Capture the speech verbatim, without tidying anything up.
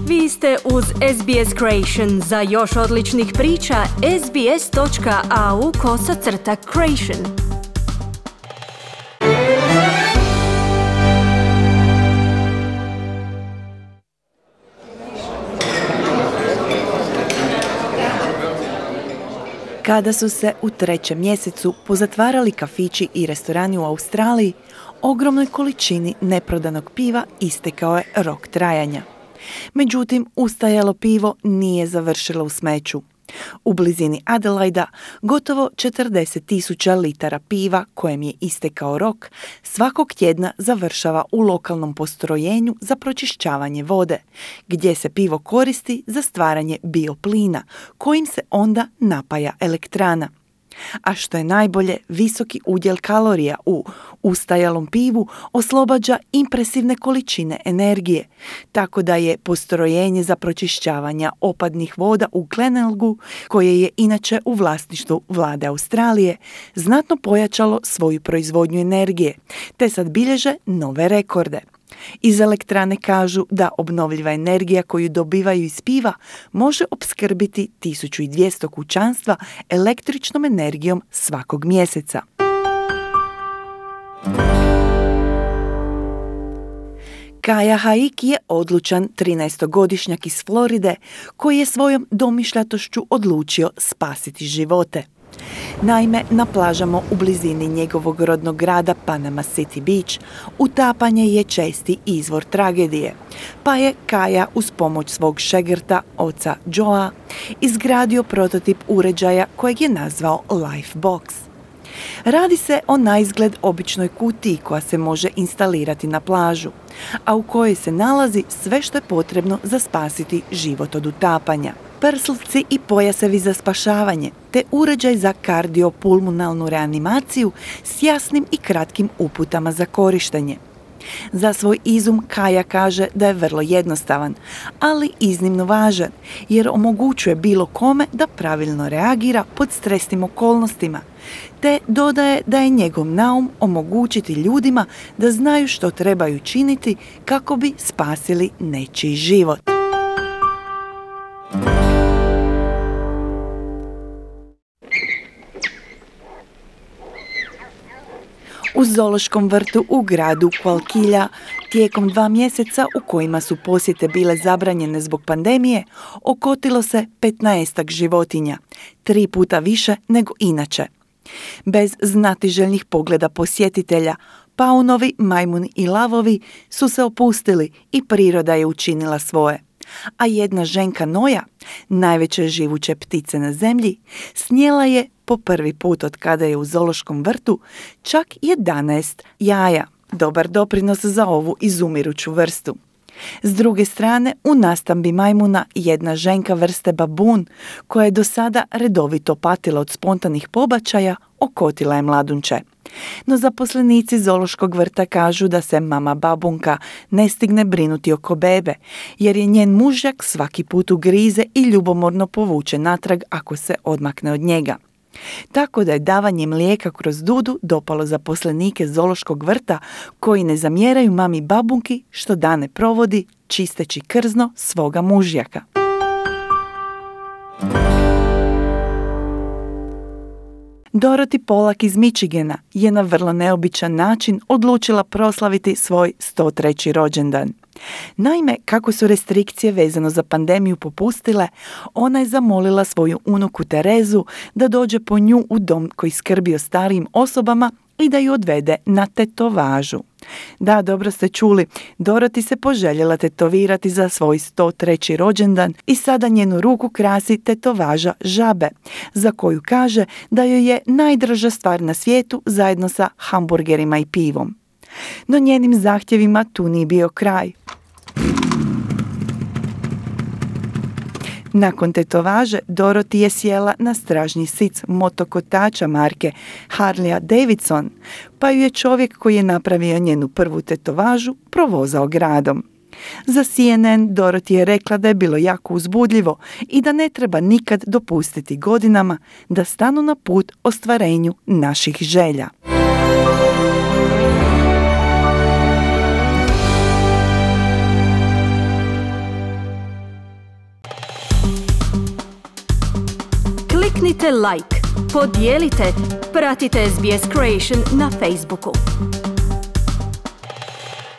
Vi ste uz S B S Creation. Za još odličnih priča, sbs.au kosacrta creation. Kada su se u trećem mjesecu pozatvarali kafići i restorani u Australiji, ogromnoj količini neprodanog piva istekao je rok trajanja. Međutim, ustajalo pivo nije završilo u smeću. U blizini Adelaida gotovo četrdeset tisuća litara piva kojem je istekao rok svakog tjedna završava u lokalnom postrojenju za pročišćavanje vode, gdje se pivo koristi za stvaranje bioplina, kojim se onda napaja elektrana. A što je najbolje, visoki udjel kalorija u ustajalom pivu oslobađa impresivne količine energije, tako da je postrojenje za pročišćavanje opadnih voda u Glenelgu, koje je inače u vlasništvu vlade Australije, znatno pojačalo svoju proizvodnju energije, te sad bilježe nove rekorde. Iz elektrane kažu da obnovljiva energija koju dobivaju iz piva može opskrbiti tisuću dvjesto kućanstva električnom energijom svakog mjeseca. Kaya Haik je odlučan trinaestogodišnjak iz Floride koji je svojom domišljatošću odlučio spasiti živote. Naime, na plažama u blizini njegovog rodnog grada Panama City Beach utapanje je česti izvor tragedije, pa je Kaya uz pomoć svog šegrta, oca Joea, izgradio prototip uređaja kojeg je nazvao Lifebox. Radi se o naizgled običnoj kutiji koja se može instalirati na plažu, a u kojoj se nalazi sve što je potrebno za spasiti život od utapanja. Prslci i pojasevi za spašavanje, te uređaj za kardiopulmonalnu reanimaciju s jasnim i kratkim uputama za korištenje. Za svoj izum Kaya kaže da je vrlo jednostavan, ali iznimno važan, jer omogućuje bilo kome da pravilno reagira pod stresnim okolnostima, te dodaje da je njegov naum omogućiti ljudima da znaju što trebaju činiti kako bi spasili nečiji život. U zoološkom vrtu u gradu Qualquilla tijekom dva mjeseca u kojima su posjete bile zabranjene zbog pandemije, okotilo se petnaestak životinja, tri puta više nego inače. Bez znatiželjnih pogleda posjetitelja, paunovi, majmuni i lavovi su se opustili i priroda je učinila svoje. A jedna ženka noja, najveće živuće ptice na zemlji, snijela je po prvi put od kada je u zoološkom vrtu čak jedanaest jaja. Dobar doprinos za ovu izumiruću vrstu. S druge strane, u nastambi majmuna jedna ženka vrste babun, koja je do sada redovito patila od spontanih pobačaja, okotila je mladunče. No zaposlenici zoološkog vrta kažu da se mama babunka ne stigne brinuti oko bebe, jer je njen mužjak svaki put ugrize i ljubomorno povuče natrag ako se odmakne od njega. Tako da je davanje mlijeka kroz dudu dopalo zaposlenike zoološkog vrta koji ne zamjeraju mami babunki što dane provodi čisteći krzno svoga mužjaka. Dorothy Polak iz Michigana je na vrlo neobičan način odlučila proslaviti svoj sto treći rođendan. Naime, kako su restrikcije vezano za pandemiju popustile, ona je zamolila svoju unuku Terezu da dođe po nju u dom koji skrbi o starijim osobama i da ju odvede na tetovažu. Da, dobro ste čuli, Dorothy se poželjela tetovirati za svoj sto treći rođendan i sada njenu ruku krasi tetovaža žabe, za koju kaže da joj je najdraža stvar na svijetu zajedno sa hamburgerima i pivom. No njenim zahtjevima tu nije bio kraj. Nakon tetovaže, Dorothy je sjela na stražnji sic motokotača marke Harleya Davidson, pa ju je čovjek koji je napravio njenu prvu tetovažu provozao gradom. Za C N N Dorothy je rekla da je bilo jako uzbudljivo i da ne treba nikad dopustiti godinama da stanu na put ostvarenju naših želja. Kliknite like, podijelite, pratite S B S Creation na Facebooku.